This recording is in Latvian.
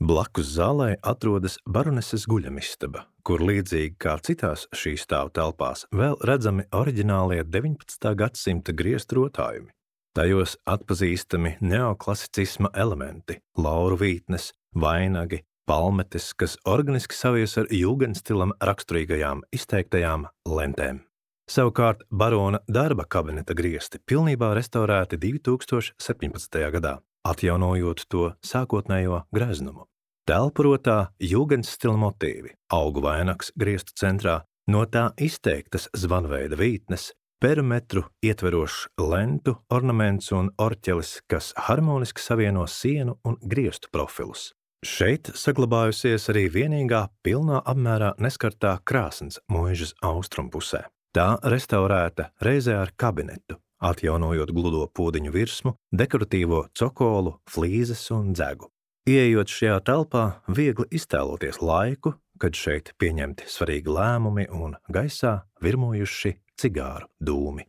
Blakus zālē atrodas baroneses guļamistaba, kur līdzīgi kā citās šīs stāvu telpās vēl redzami oriģinālie 19. gadsimta griestu rotājumi. Tajos atpazīstami neoklasicisma elementi, lauru vītnes, vainagi, palmetes, kas organiski savies ar jūgenstilam raksturīgajām izteiktajām lentēm. Savukārt barona darba kabineta griesti pilnībā restaurēti 2017. gadā, atjaunojot to sākotnējo greznumu. Telpu rotā jūgenstila motīvi, augu vainags griestu centrā, no tā izteiktas zvanveida vītnes, perimetru ietverošs lentu, ornaments un orķelis, kas harmoniski savieno sienu un griestu profilus. Šeit saglabājusies arī vienīgā pilnā apmērā neskartā krāsns mūžas austrumpusē. Tā restaurēta reizē ar kabinetu, atjaunojot gludo podiņu virsmu, dekoratīvo cokolu, flīzes un dzegu. Ieejot šajā telpā, viegli iztēloties laiku, kad šeit pieņemti svarīgi lēmumi un gaisā virmojuši cigāru dūmi.